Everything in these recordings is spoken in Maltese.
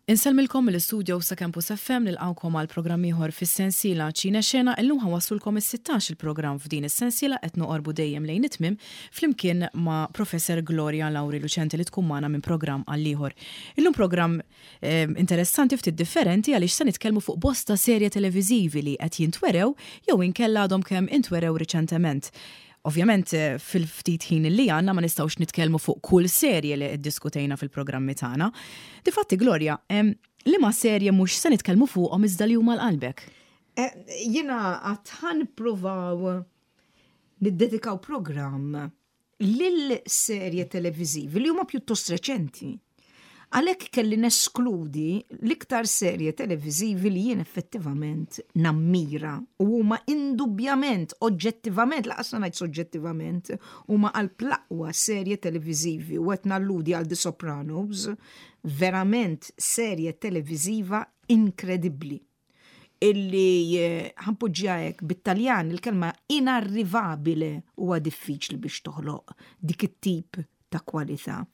Insellmilkom mill-istudios ta' Campus FM nilqgħukom għal programm ieħor fis-sensiela Ċine Xena illum ħa nwasslulkom is-16 il-programm f'din is-sensiela qed noqorbu dejjem lejn it-tmiem flimkien ma' Professor Gloria Lauri Lucente li tkun magħna minn programm għal ieħor. Illum programm interessanti ftit differenti għaliex se nitkellmu fuq bosta serje televiżivi li qed jintwerew jew inkella għadhom kemm intwerew riċentement. Ovvjament fil-ftit ħin li għandna ma nistgħux nitkellmu fuq kull serje li ddiskutejna fil-programmi tagħna. Difatti Gloria, liema serje mhux se nitkellmu fuqhom iżda li huma l-qalbek? Jiena għad ħa nippruvaw niddedikaw programm lil serje televiżivi li huma pjuttost reċenti. Għalhekk kelli neskludi l-iktar serje televiżivi li jien effettivament nammira u huma indubbjament, oġġettivament, lanqas se ngħid soġġettivament, huma qalb l-aqwa serje televiżivi u qed nalludi għal The Sopranos, verament serje televiżiva inkredibbli. Illi ħa npoġġiha hekk bit-Taljan il-kelma inarrivabile huwa diffiċli biex toħloq dik it-tip ta' kwalità.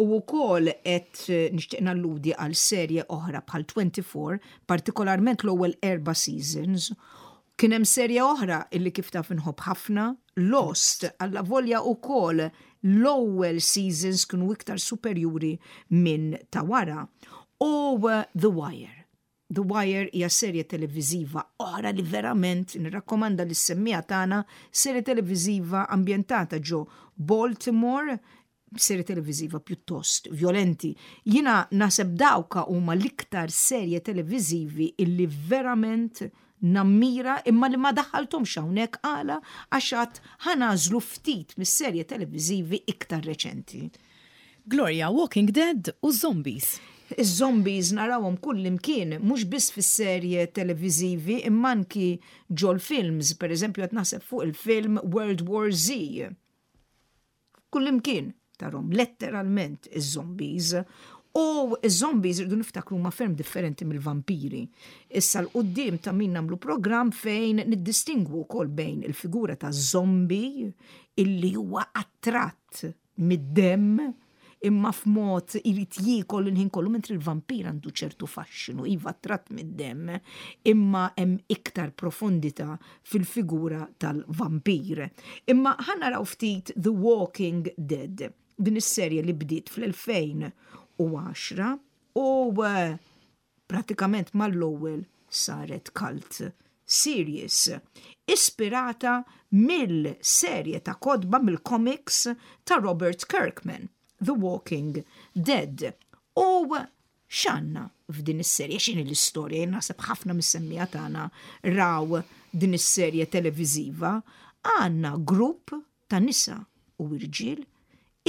U wkoll qed nixtieq nalludi għal serje oħra bħal 24, partikolarment l-ewwel erba' seasons. Kien hemm serje oħra illi kif taf inħobb ħafna, Lost, allavolja wkoll l-ewwel seasons kienu iktar superjuri minn ta' wara. U The Wire. The Wire hija serje televiżiva oħra li verament nirrakkomanda lis-semmiegħa tagħna, serje televiżiva ambjentata ġo Baltimore, serje televiżiva pjuttost vjolenti. Jiena naħseb dawka huma l-iktar serje televiżivi illi verament nammira imma li ma daħħalthomx hawnhekk għala għax għad ħa nagħżlu ftit mis-serje televiżivi iktar reċenti. Gloria, Walking Dead u Zombies. Iż-zombies narawhom kullimkien, mhux biss fis-serje televiżivi imma anki ġol-films, pereżempju qed naħseb fuq il-film World War Z. Kullimkien tarhom letteralment iż-zombies. U iż-zombies irridu niftakru huma ferm differenti mill-vampiri. Issa 'l quddiem ta' min nagħmlu programm fejn niddistingwu wkoll bejn il-figura ta' zombie illi huwa attratt mid-demm imma f'mod irid jiekol il-ħin kollu mentri l-vampir għandu ċertu faxxinu, iva attratt mid-demm, imma hemm iktar profondità fil-figura tal-vampir. Imma ħa naraw ftit The Walking Dead, din is-serje li bdiet fl-2010 u pratikament mal-ewwel saret cult series, ispirata mill-serje ta' kotba mill-comics ta' Robert Kirkman, The Walking Dead. U x'għandna f'din is-serje, x'inhi l-istorja, jien naħseb ħafna mis-semmiegħa tagħna raw din is-serje televiżiva, għandna grupp ta' nisa u irġiel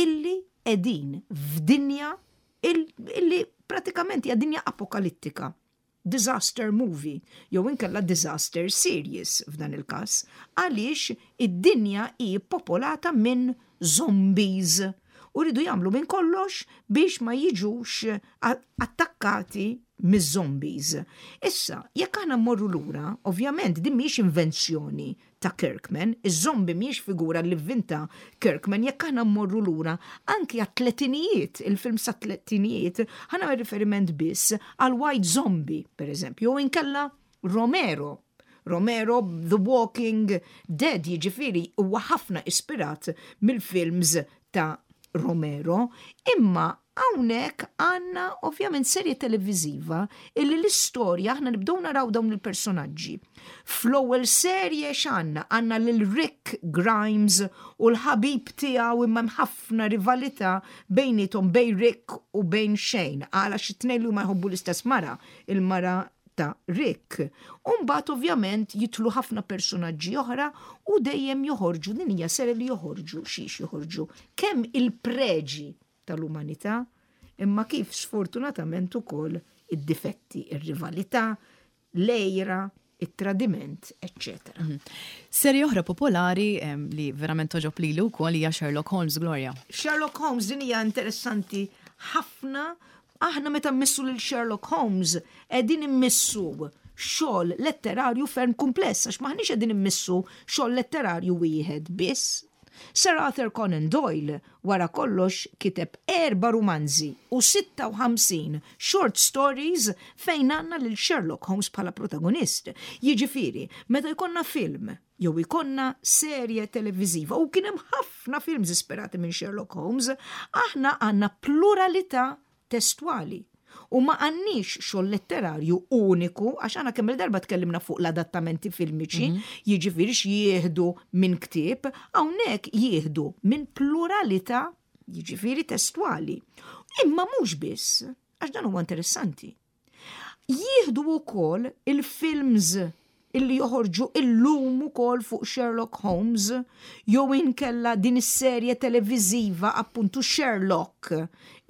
illi qegħdin f'dinja illi pratikament hija dinja apokalittika. Disaster movie, jew inkella disaster series f'dan il-każ, għaliex id-dinja hi popolata minn zombies u rridu jagħmlu minn kollox biex ma jiġux attakkati miż-zombies. Issa, jekk aħna mmorru lura, ovvjament din mhijiex invenzjoni ta' Kirkman, iż-zombie mhijiex figura li vvinta Kirkman, jekk aħna mmorru lura anki għat-tletinijiet, il-films tat-tletinijiet, ħa nagħmel riferiment biss għal White Zombie, per eżempju, jew inkella Romero. Romero The Walking Dead, jiġifieri huwa ħafna ispirat mill-films ta' Romero, imma hawnhekk għandna ovvjament serje televiżiva illi l-istorja aħna nibdew naraw dawn il-personaġġi. Fl-ewwel serje x'għandna? Għandna lil Rick Grimes u l-ħabib tiegħu imma hemm ħafna rivalità bejniethom bejn Rick u bejn Shane għala xi tnejn li huma jħobbu l-istess mara, il-mara ta' Rick. U mbagħad ovvjament jidħlu ħafna personaġġi oħra u dejjem joħorġu din hija serje li joħorġu xiex joħorġu kemm il-preġi tal-umanità imma kif sfortunatament ukoll id-difetti, ir-rivalità, l-għira, it-tradiment, eċċetera. Mhm. Serje oħra popolari li verament toġob lili wkoll hija Sherlock Holmes Gloria. Sherlock Holmes din hija interessanti ħafna. Aħna meta mmissu lil Sherlock Holmes qegħdin immissu xogħol letterarju ferm kumpless għax maħniex qegħdin immissu xogħol letterarju wieħed biss. Sir Arthur Conan Doyle wara kollox kiteb erba' rumanzi u 56 short stories fejn għandna lil Sherlock Holmes bħala protagonist. Jiġifieri, meta jkollna film jew ikollna serje televiżiva u kien hemm ħafna films ispirati minn Sherlock Holmes, aħna għandna pluralità testwali u ma għandniex xogħol letterarju uniku għax aħna kemm il-darba tkellimna fuq l-adattamenti filmiċi, jiġifieri x'jieħdu minn ktieb, hawnhekk jieħdu minn pluralità jiġifieri testwali. Imma mhux biss, għax dan huwa interessanti. Jieħdu wkoll il-films illi joħorġu illum ukoll fuq Sherlock Holmes jew inkella din is-serje televiżiva appuntu Sherlock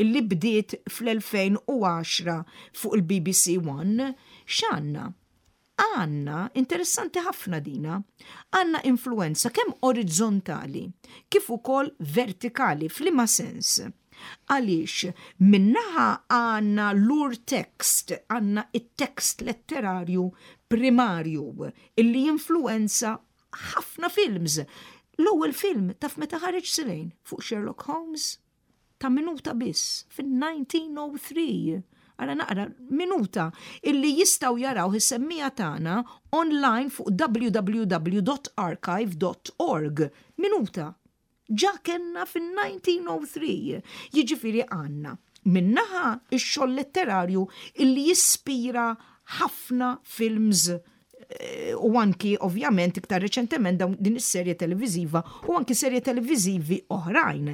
illi bdiet fl-2010 fuq il-BBC One, x'għandna? Għandna, interessanti ħafna dina, għandna influenza kemm orizzontali kif ukoll vertikali f'liema sens? Għaliex min-naħa għandna l-urtext, għandna it-tekst letterarju primarju illi jinfluwenza ħafna films. L-ewwel film taf meta ħareġ Silejn fuq Sherlock Holmes? Ta' minuta biss, fin-1903. Ara naqra minuta illi jistgħu jaraw is-semmija tagħna online fuq www.archive.org. Minuta. Ġa kellna fin-1903. Jiġifieri għandna min-naħa x-xogħol letterarju illi jispira ħafna films eh, u anki ovvjament iktar reċentement dawn din is-serje televiżiva u anki serje televiżivi oħrajn.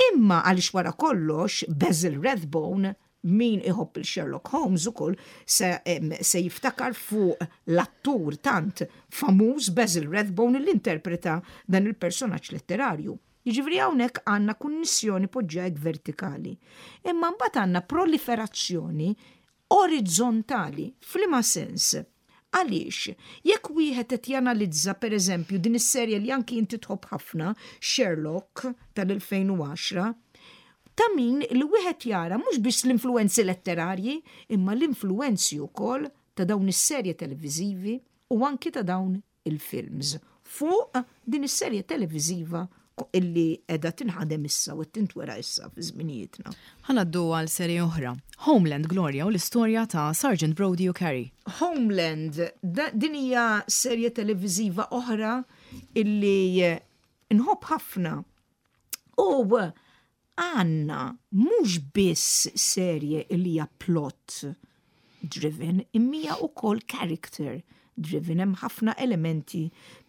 Imma għaliex wara kollox Basil Rathbone min iħobb il-Sherlock Holmes ukoll se, se jiftakar fuq l-attur tant famuż Basil Rathbone li interpreta dan il-personaġġ letterarju. Jiġifieri hawnhekk għandna kunnissjoni poġġiha hekk vertikali. Imma mbagħad għandna proliferazzjoni orizzontali. F'liema sens? Għaliex, jekk wieħed qed janalizza pereżempju din is-serje li anki inti tħobb ħafna, Sherlock tal-2010, ta' min li wieħed jara mhux biss l-influwenzi letterarji imma l-influwenzi wkoll ta' dawn is-serje televiżivi u anki ta' dawn il-films fuq din is-serje televiżiva illi qiegħda tinħadem issa u qed tintwera issa fi żminijietna. Ħa ngħaddu għal serje oħra, Homeland Gloria u l-istorja ta' Sergeant Brody u Carrie. Homeland, din hija serje televiżiva oħra illi nħobb ħafna. U Għandna mhux biss serje li hija plot driven imma hija wkoll character driven, hemm ħafna elementi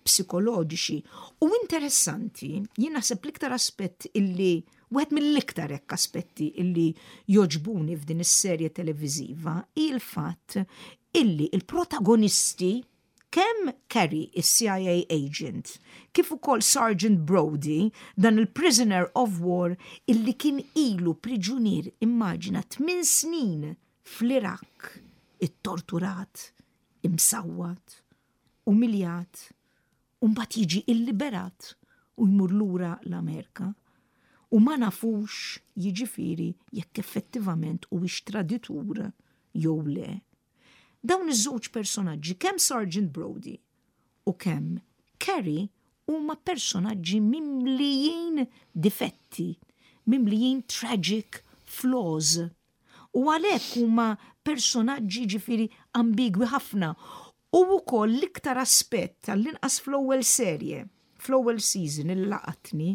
psikoloġiċi. U interessanti, jien naħseb l-iktar aspett illi wieħed mill-iktar hekk aspetti illi jogħġbuni f'din is-serje televiżiva hi l-fatt illi l-protagonisti Kemm Carey, is-CIA agent, kif ukoll Sergeant Brody, dan il-prisoner of war illi kien ilu priġunier, immaġina, tminn snin fl-Iraq, ittorturat, imsawwat, umiljat, u mbagħad jiġi illiberat u jmur lura l-Amerika. U ma nafux, jiġifieri, jekk effettivament huwiex traditur jew le. Dawn iż-żewġ personaġġi, kemm Sergeant Brody u kemm Carrie huma personaġġi mimlijin difetti, mimlijin tragic flaws. U għalhekk huma personaġġi ġifieri ambigwi ħafna. U wkoll l-iktar aspett, għall-inqas fl-ewwel serje, fl-ewwel season li laqatni,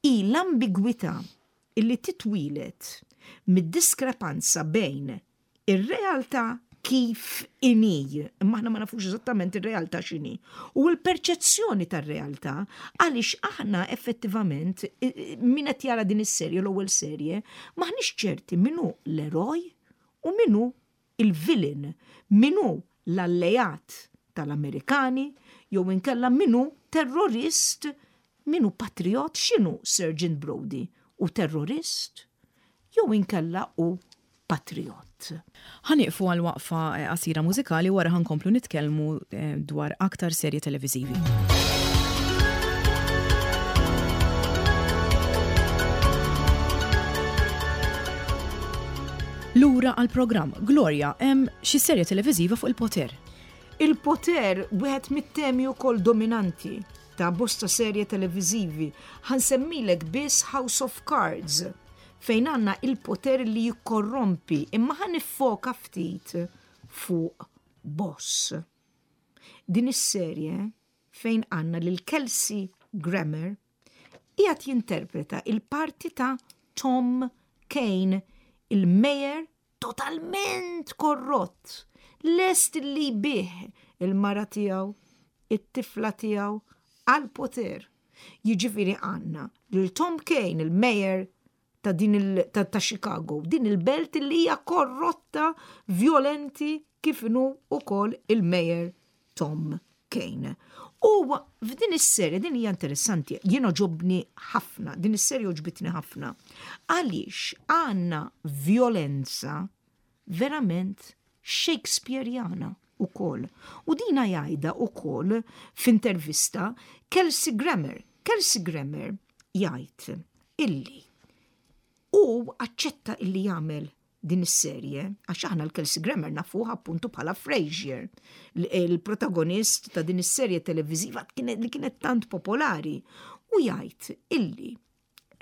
hi l-ambigwità illi titwieled mid-diskrepanza bejn ir-realtà kif inhi, imma aħna ma nafux eżattament ir-realtà x'inhi, u l-perċezzjoni tar-realtà għaliex aħna effettivament min qed jara din is-serje l-ewwel serje m'aħniex ċerti min hu l-eroj u min hu il-villain, min hu l-alleat tal-Amerikani jew inkella min hu terrorist, min hu patrijott, x'inhu Sergeant Brody, hu terrorist jew inkella hu patrijott. Ħa nieqfu għal waqfa qasira mużikali u wara ħa nkomplu nitkellmu dwar aktar serje televiżivi. Lura għall-programm, Gloria, hemm xi serje televiżiva fuq il-poter. Il-poter wieħed mit-temi wkoll dominanti. ta' bosta serje televiżivi. Ħa nsemmilek biss House of Cards fejn għandna il-poter li jikkorrompi imma ħa niffoka ftit fuq Boss. Din is-serje fejn għandna lil Kelsey Grammer qiegħed jinterpreta il-parti ta' Tom Kane, il-mayor totalment korrott, lest li jbigħ il-mara tiegħu, it-tifla tiegħu għall-poter. Jiġifieri għandna lil Tom Kane, il-mayor ta' din il, ta', ta' Chicago, din il-belt li hija korrotta, violenti kif inhu ukoll il-mayor Tom Kane. U f'din is-serje, din hija interessanti, jien għoġobni ħafna, din is-serje għoġbitni ħafna. Għaliex għandna violenza verament Shakespeareana ukoll. U dina jgħidha ukoll f'intervista Kelsey Grammer. Kelsey Grammer jgħid illi u aċċetta illi jagħmel din is-serje, għax aħna l-Kelsey Grammer nafuh appuntu bħala Frasier, il-protagonist ta' din is-serje televiżiva li kienet tant popolari, u jgħid illi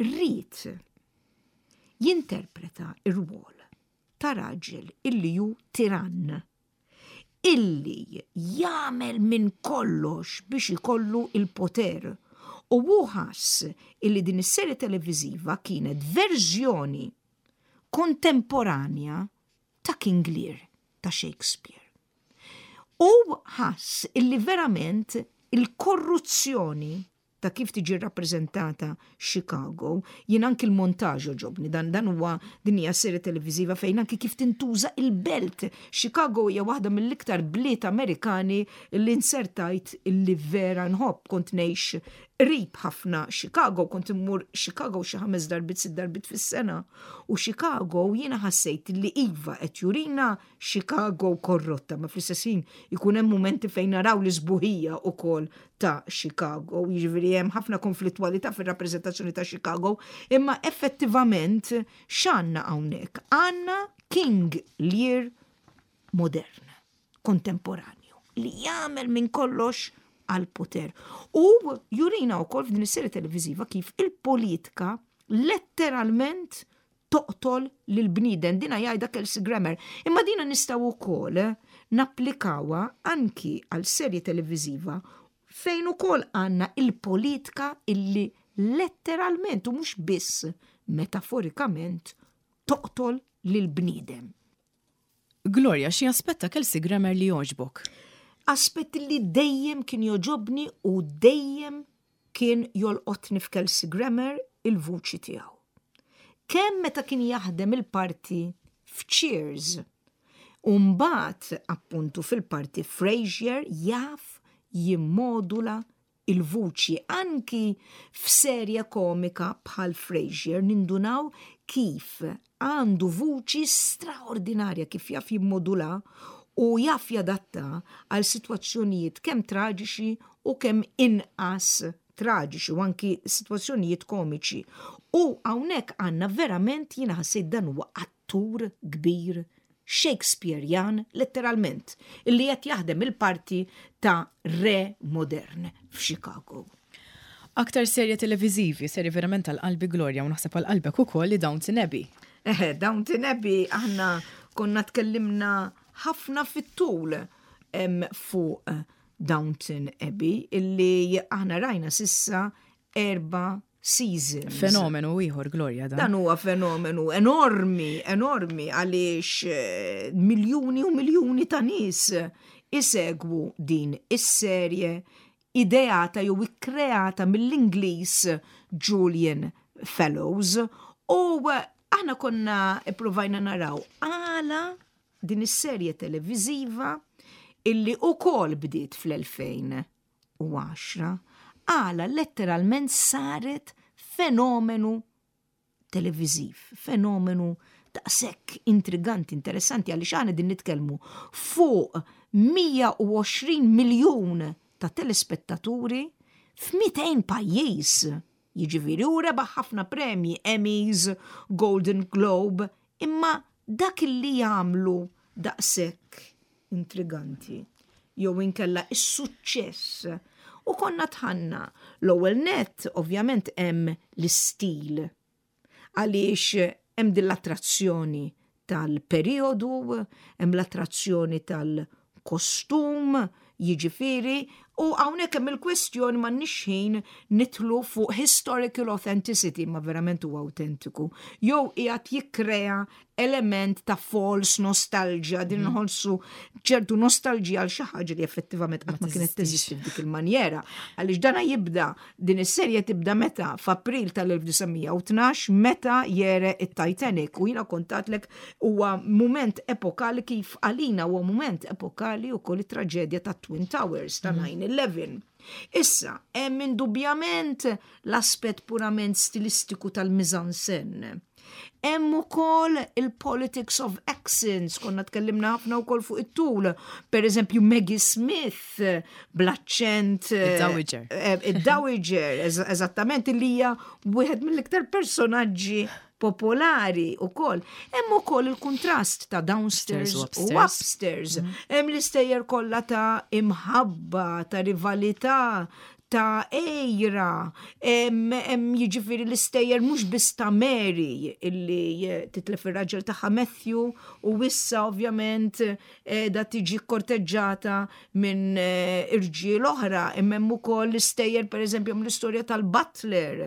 ried jinterpreta r-rwol ta' raġel illi hu tirann, illi jagħmel minn kollox biex ikollu il-poter. U hu ħass illi din is-serje televiżiva kienet verżjoni kontemporanja ta' King Lear ta' Shakespeare. U ħass illi verament il-korruzzjoni ta' kif tiġi rrappreżentata Chicago, jien anki l-montaġġ għoġobni, dan dan huwa din hija serje televiżiva fejn anki kif tintuża il-belt. Chicago hija waħda mill-iktar bliet Amerikani li nsertajt li vera nħobb, kont ngħix qrib ħafna Chicago, kont immur Chicago xi ħames darbiet sitt darbiet fis-sena. U Chicago jiena ħassejt li iva qed jurina Chicago korrotta, ma fl-istess ħin ikun hemm mumenti fejn naraw l-isbuħija ukoll ta' Chicago, jiġifieri hemm ħafna konflittwalità fir-rappreżentazzjoni ta' Chicago, imma effettivament x'għandna hawnhekk? Għandna King Lear modern, kontemporanju, li jagħmel minn kollox għal poter. U jurina wkoll f'din is-serje televiżiva kif il-politika letteralment toqtol lil bniedem. Dina jgħidha Kelsey Grammer. Imma dina nistgħu wkoll napplikawha anki għal serje televiżiva fejn ukoll għandna il-politika illi letteralment u mhux biss metaforikament toqtol lil bniedem. Gloria, xi aspett ta' Kelsey Grammer li jogħġbok? Aspett li dejjem kien jogħġobni u dejjem kien jolqotni f'Kelsey Grammer il-vuċi tiegħu. Kemm meta kien jaħdem il-parti f'Cheers u mbagħad appuntu fil-parti Frasier jaf jimmodula il-vuċi anki f'serje komika bħal Frasier nindunaw kif għandu vuċi straordinarja kif jaf jimmodula u jaf jadatta għal sitwazzjonijiet kemm traġiċi u kemm inqas traġiċi u anki sitwazzjonijiet komiċi. U hawnhekk għandna verament jiena ħassejt dan huwa attur kbir Shakespearean letteralment illi qed jaħdem il-parti ta' re modern f'Chicago. Aktar serje televiżivi, serje verament għal qalbi Gloria u naħseb għal qalbek ukoll li Downton Abbey. Eħe, Downton Abbey aħna konna tkellimna ħafna fit-tul fuq Downton Abbey illi aħna rajna sissa erba' seasons. Fenomenu ieħor Gloria dan. Dan huwa fenomenu enormi, enormi għaliex eh, miljuni u miljuni ta' nies isegwu din is-serje ideata jew ikkreata mill-Ingliż Julian Fellows u aħna konna ippruvajna naraw għala din is-serje televiżiva illi ukoll bdiet fl-2010 għala letteralment saret fenomenu televiżiv, fenomenu daqshekk intriganti, interessanti għaliex aħna din nitkellmu fuq 120 miljun ta' telespettaturi f'200 pajjiż. Jiġifieri hu rebaħ ħafna premji, Emmys, Golden Globe, imma dak li jagħmlu daqshekk intriganti jew inkella is-suċċess. U konna tħanna l-ewwel net ovvjament hemm l-istil għaliex hemm din l-attrazzjoni tal-perjodu, hemm l-attrazzjoni tal-kostum, jiġifieri, u hawnhekk hemm il-kwestjoni m'għandniex ħin nidħlu fuq historical authenticity, ma verament huwa awtentiku, jew qiegħed jikkrea element ta' false nostalgia, din mhm. nħossu ċertu nostalġija għal xi ħaġa li effettivament qatt ma kienet teżisti f'dik il-manjera. Għaliex dana jibda din is-serje tibda meta f'April tal-1912 meta jere it-Titanic u jiena kontatlek huwa mument epokali kif għalina huwa mument epokali wkoll it-traġedja ta' Twin Towers ta' 9-11. Mhm. Issa, hemm indubjament l-aspett purament stilistiku tal-mizansen. Hemm ukoll il-politics of accents, konna tkellimna ħafna wkoll fuq it-tul. Per eżempju, Maggie Smith bl-aċċent. Eh, Id-Dowager. Eh, Id-Dowager, eżattament, li hija wieħed mill-iktar personaġġi popolari u koll. Hemm ukoll il-kuntrast ta' downstairs u upstairs. Mhm. Hemm l-istejjer kollha ta' imħabba, ta' rivalità, ta' għejra, hemm jiġifieri l-istejjer mhux biss ta' Mary illi titlef ir-raġel tagħha Matthew u issa ovvjament da tiġi korteġġata minn eh, irġiel oħra, imma hemm ukoll l-istejjer pereżempju hemm l-istorja tal-Butler,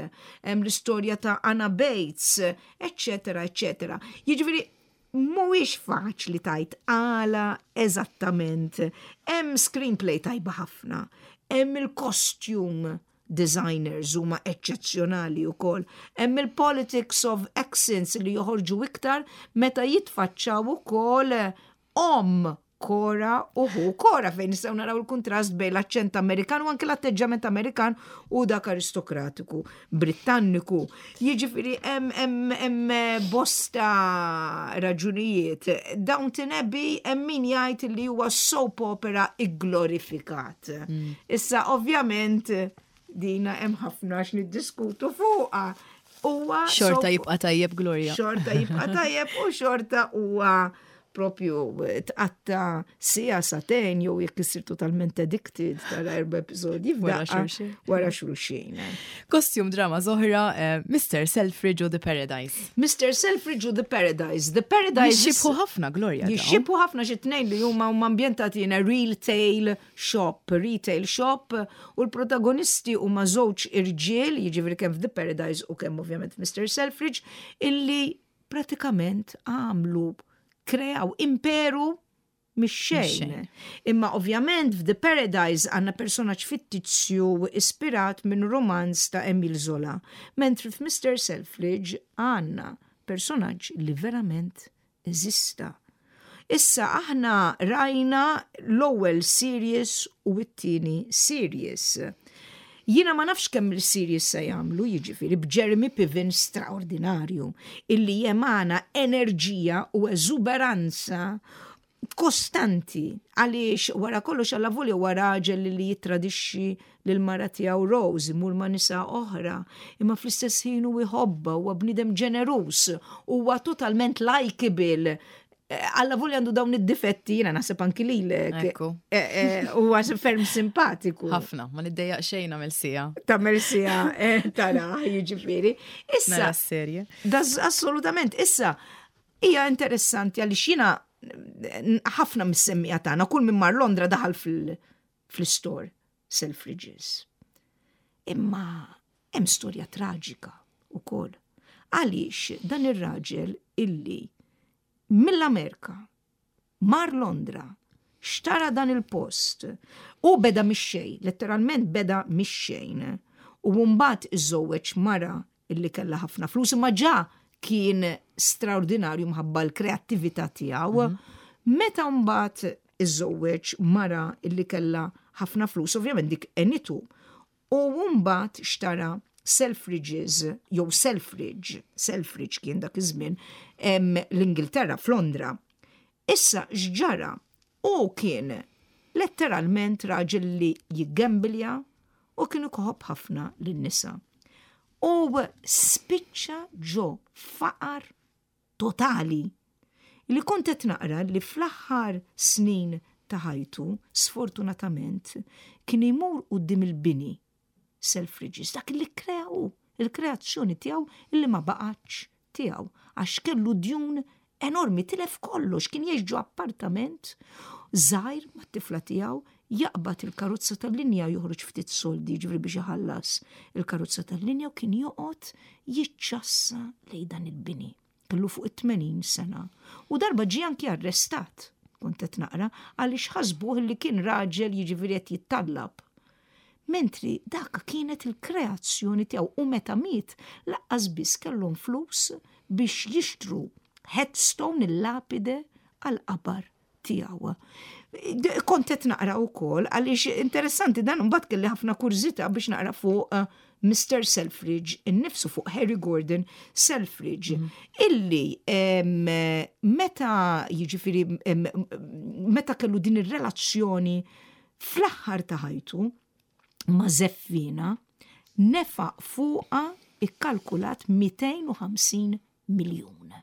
hemm l-istorja ta' Anna Bates, eċċetera, eċċetera. Jiġifieri mhuwiex faċli tajt għala eżattament. Hemm screenplay tajba ħafna, hemm il-costume designers huma eċċezzjonali wkoll. Hemm il-politics of accents li joħorġu iktar meta jitfaċċaw ukoll omm Cora u ħu Cora fejn nistgħu naraw il-kuntrast bejn l-aċċent Amerikan u anke l-atteġġament Amerikan u dak aristokratiku Brittanniku. Jiġifieri hemm hemm bosta raġunijiet. Downton Abbey hemm min jgħid li huwa soap opera igglorifikat. Mm. Issa ovvjament dina hemm ħafna x'niddiskutu fuqha. Huwa xorta jibqa' tajjeb Gloria. Xorta jibqa' tajjeb u xorta huwa propju tqatta sija satejn jew jekk issir totalment addicted tara erba' episodji wara xulxin. Wara xulxin. Costume drama zoħra eh, Mr. Selfridge u The Paradise. Mr. Selfridge u The Paradise. The Paradise. Jixxibħu ħafna Gloria. Jixxibħu ħafna xi tnejn li huma huma ambjentati in a real tale shop, retail shop, u l-protagonisti huma żewġ irġiel, jiġifieri kemm f'The Paradise u kemm ovvjament Mr. Selfridge, illi pratikament għamlu kreaw imperu mix-xejn. Imma ovvjament f'The Paradise għandna personaġġ fittizju ispirat minn romanz ta' Emile Zola, mentri f'Mr. Selfridge għandna personaġġ li verament eżista. Issa aħna rajna l-ewwel series u t-tieni series. Jiena ma nafx kemm il-series se jagħmlu, jiġifieri b'Jeremy Piven straordinarju illi jemana enerġija u eżuberanza kostanti għaliex wara kollox alla volja huwa raġel li jittradixxi lil mara tiegħu Rose imur ma' nisa oħra, imma fl-istess ħin hu jħobbha, huwa bniedem ġeneruż, huwa totalment likeable. Eh, alla volja għandu dawn id-difetti, jiena naħseb anki lilek. Ekku. Eh, eh, huwa ferm simpatiku. Ħafna, ma niddejjaq xejn nagħmel sija. Tagħmel sija tara, jiġifieri. Issa. Nara s-serje. Assolutament, issa hija interessanti għaliex jiena ħafna mis-semmija tagħna kull minn mar Londra daħal fil- fl-istore Selfridges. Imma hemm storja traġika wkoll. Għaliex dan ir-raġel illi mill-Amerika mar Londra xtara dan il-post u beda mix-xejn, letteralment beda mix-xejn. U mbagħad iżżewweġ mara illi kellha ħafna flus imma ġa kien straordinarju mħabba l-kreattività tiegħu. Mhm. Meta mbagħad iżżewweġ mara illi kellha ħafna flus, ovvjament dik enitu. U mbagħad xtara Selfridges jew Selfridge, Selfridge kien dak iż-żmien l-Ingilterra f'Londra. Issa x'ġara? Hu kien letteralment raġel li jiggembilja u kien ikoħobb ħafna lin-nisa. U spiċċa ġo faqar totali. Li kont qed naqra li fl-aħħar snin ta' ħajtu, sfortunatament, kien imur quddiem il-bini Selfridges, dak li kkrea hu, il-kreazzjoni tiegħu illi ma baqgħetx tiegħu għax kellu djun enormi, tilef kollox, kien jgħix ġo appartament żgħir mat-tifla tiegħu, jaqbad il-karozza tal-linja joħroġ ftit soldi ġifieri biex iħallas il-karozza tal-linja u kien joqgħod jiċċassa lejn dan il-bini. Kellu fuq it-80 sena u darba ġie anki arrestat, kont qed naqra, għaliex ħasbuh li kien raġel jiġifieri qed jittallab. Mentri dak kienet il-kreazzjoni tiegħu u meta miet laqqas biss kellhom flus biex jixtru headstone il-lapide għall-qabar tiegħu. Kont qed naqra wkoll għaliex interessanti dan imbagħad kelli ħafna kurżità biex naqra fuq eh, Mr. Selfridge innifsu fuq Harry Gordon Selfridge mm. illi meta jiġifieri meta kellu din ir-relazzjoni fl-aħħar ta' ħajtu ma' Zeffina nefaq fuqha ikkalkulat 250 miljun.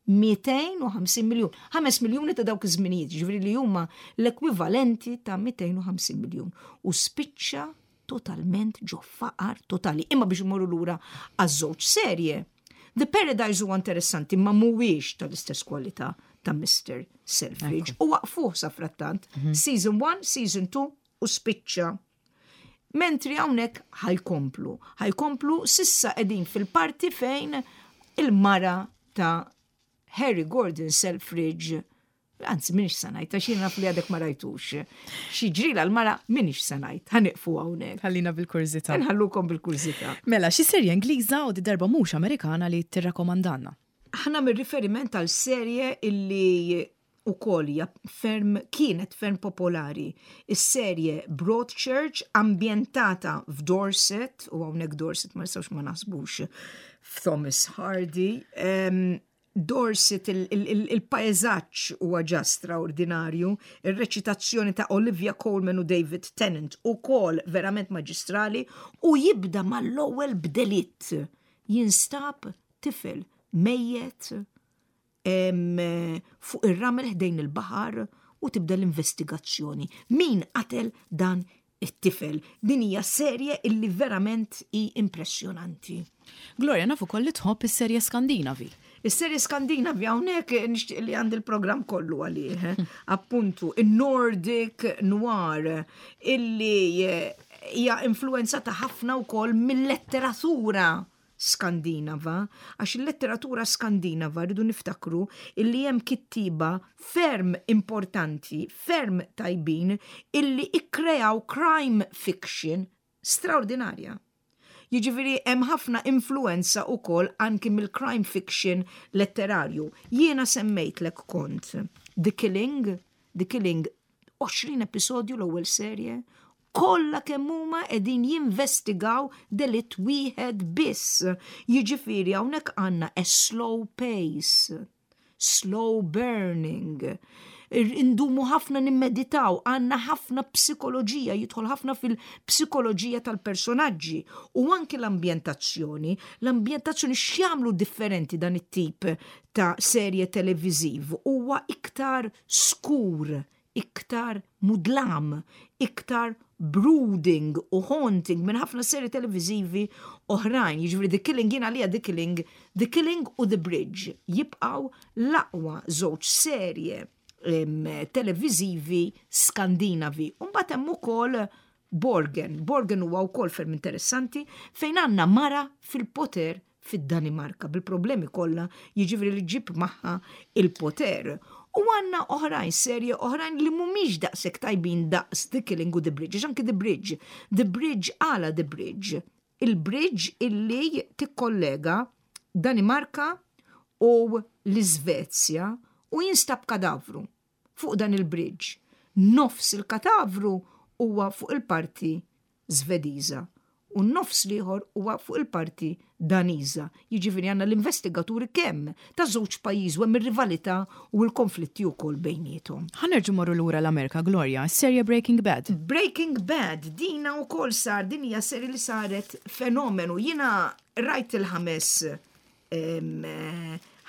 250 miljun. 5 miljuni ta' dawk iż-żminijiet, ġifieri li huma l-ekwivalenti ta' 250 miljun. U spiċċa totalment ġo faqar totali. Imma biex imorru lura għaż-żewġ serje. The Paradise huwa interessanti ma mhuwiex tal-istess kwalità ta' Mr. Selfridge. U waqfuh sa frattant. Mhm. Season 1, Season 2 u spiċċa. Mentri hawnhekk ħajkomplu. Ħajkomplu sissa qegħdin fil-parti fejn il-mara ta' Harry Gordon Selfridge Anzi, minix sanajt, għax jien naf li għadek ma rajtux. Xi ġrila l-mara minix sanajt, ħaniqfu hawnhekk. Ħallina bil-kurżità. Nħallukom bil-kurżità. Mela, xi serje Ingliża u di darba mhux Amerikana li tirrakkomandanna? Ħa nagħmel riferiment għal serje illi ukoll hija ferm kienet ferm popolari. Is-serje Broadchurch ambjentata f'Dorset u hawnhekk Dorset ma nistgħux ma naħsbux f'Thomas Hardy. Um, Dorset il-paesaġġ huwa ġa straordinarju, ir-reċitazzjoni ta' Olivia Colman u David Tennant ukoll verament maġistrali u jibda mal-ewwel b'delitt. Jinstab tifel mejjet fuq ir-ramel ħdejn il-baħar u tibda l-investigazzjoni. Min qatel dan it-tifel? Din hija serje illi verament hi impressjonanti. Gloria, nafu koll li tħobb is-serje Skandinavi. Is-serje Skandinavi hawnhekk nixtieq li għandi l-programm kollu għalih. Appuntu, il-Nordic Noir illi hija influenzata ħafna wkoll mill-letteratura Skandinava, għax il-letteratura Skandinava rridu niftakru illi hemm kittiba ferm importanti, ferm tajbin, illi ikkreaw crime fiction straordinarja. Jiġifieri hemm ħafna influenza wkoll anki mill-crime fiction letterarju. Jiena semmejtlek kont The Killing, The Killing 20 episodju l-ewwel serje, kollha kemm huma qegħdin jinvestigaw delitt wieħed biss. Jiġifieri hawnhekk għandna a slow pace, slow burning. Indumu ħafna nimmeditaw, għandna ħafna psikoloġija, jidħol ħafna fil-psikoloġija tal-personaġġi u anki l-ambjentazzjoni. L-ambjentazzjoni x'jagħmlu differenti dan it-tip ta' serje televiżiv huwa iktar skur, iktar mudlam, iktar brooding u haunting minn ħafna seri televizivi oħrajn. Jiġifieri The Killing jien għalija The Killing, The Killing u The Bridge jibqgħu l-aqwa żewġ serje televizivi Skandinavi. Mbagħad hemm ukoll Borgen. Borgen huwa wkoll ferm interessanti fejn għandna mara fil-poter fid-Danimarka bil-problemi kollha jiġifieri li ġib magħha il-poter. U għandna oħrajn, serje oħrajn li mhumiex daqshekk tajbin daqs The Killing u The Bridge, anki The Bridge. The Bridge għala The Bridge. Il-bridge illi tikkollega Danimarka u l-Iżvezja u jinstab kadavru fuq dan il-bridge. Nofs il-katavru huwa fuq il-parti Svediża u n-nofs l-ieħor huwa fuq il-parti Daniża. Jiġifieri għandna l-investigaturi kemm ta' żewġ pajjiż u hemm ir-rivalità u l-konflitti wkoll bejniethom. Ħa nerġgħu morru lura l-Amerika, Gloria, serje Breaking Bad. Breaking Bad, dina wkoll sar, din hija serje li saret fenomenu. Jiena rajt il-ħames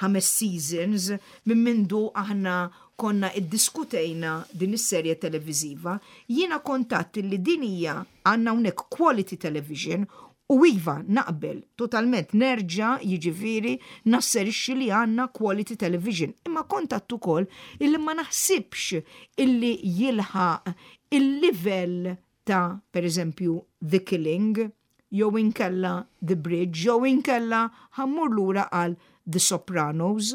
ħames seasons minn mindu aħna konna iddiskutejna din is-serje televiżiva, jiena kont għedt li din hija għandna hawnhekk quality television u iva naqbel totalment nerġa' jiġifieri nasserixxi li għandna quality television. Imma kont għedt ukoll illi ma naħsibx illi jilħaq il-livell ta' pereżempju The Killing jew inkella The Bridge jew inkella ħa mmur lura għal The Sopranos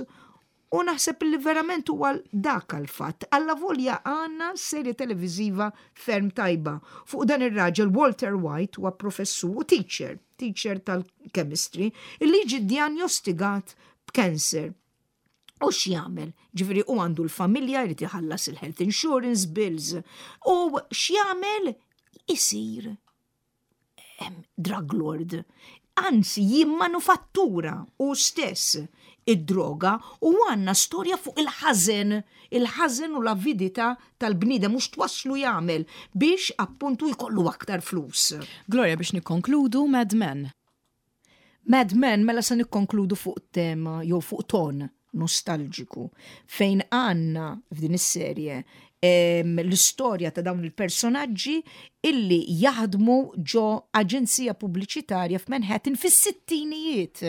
u naħseb li verament huwa dak għal-fatt. Allavolja għandna serje televiżiva ferm tajba. Fuq dan ir-raġel Walter White huwa professur u teacher, teacher tal-chemistry, illi jiġi djanjostigat b'cancer. U x'jagħmel? Ġifieri u għandu l-familja jrid iħallas il-health insurance bills. U x'jagħmel? Isir drug lord. Anzi, jimmanufattura u stess id-droga u għandna storja fuq il-ħażen, il-ħażen u l-avidità tal-bniedem mhux twasslu jagħmel biex appuntu jkollu aktar flus. Gloria biex nikkonkludu Mad Men. Mad Men mela se nikkonkludu fuq tema jew fuq ton nostalġiku fejn għandna f'din is-serje l-istorja ta' dawn il-personaġġi illi jaħdmu ġo aġenzija pubbliċitarja f'Manhattan fis-sittinijiet.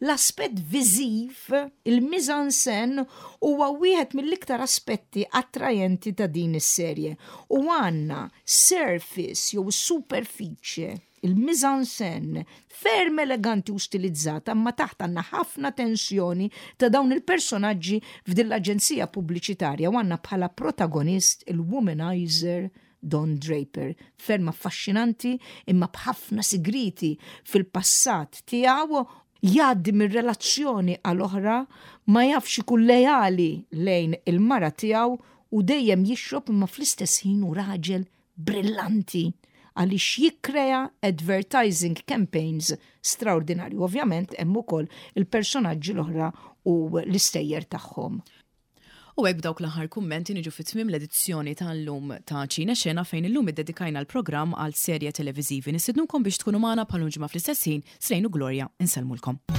L-aspett viżiv, il-mise-en-scène, huwa wieħed mill-iktar aspetti attrajenti ta' din is-serje. U għandna surface jew superfiċje il-mise-en-scène ferm eleganti u stilizzata, imma taħt għandna ħafna tensjoni ta' dawn il-personaġġi f'din l-aġenzija pubbliċitarja u għandna bħala protagonist il-womanizer Don Draper. Ferm affaxxinanti imma b'ħafna sigriti fil-passat tiegħu jgħaddi minn relazzjoni għal oħra ma jafx ikun lejali lejn il-mara tiegħu u dejjem jixrob imma fl-istess ħin hu raġel brillanti għaliex jikkrea advertising campaigns straordinarju. Ovvjament hemm ukoll il-personaġġi l-oħra u l-istejjer tagħhom. U hekk b'dawk l-aħħar kummenti niġu fi tmiem l-edizzjoni tal-lum ta' Ċine Xena fejn illum iddedikajna l-programm għal serje televiżivi. Nistednukom biex tkunu magħna bħal ġimgħa fl-istess ħin, Srejn u Gloria, insellmulkom.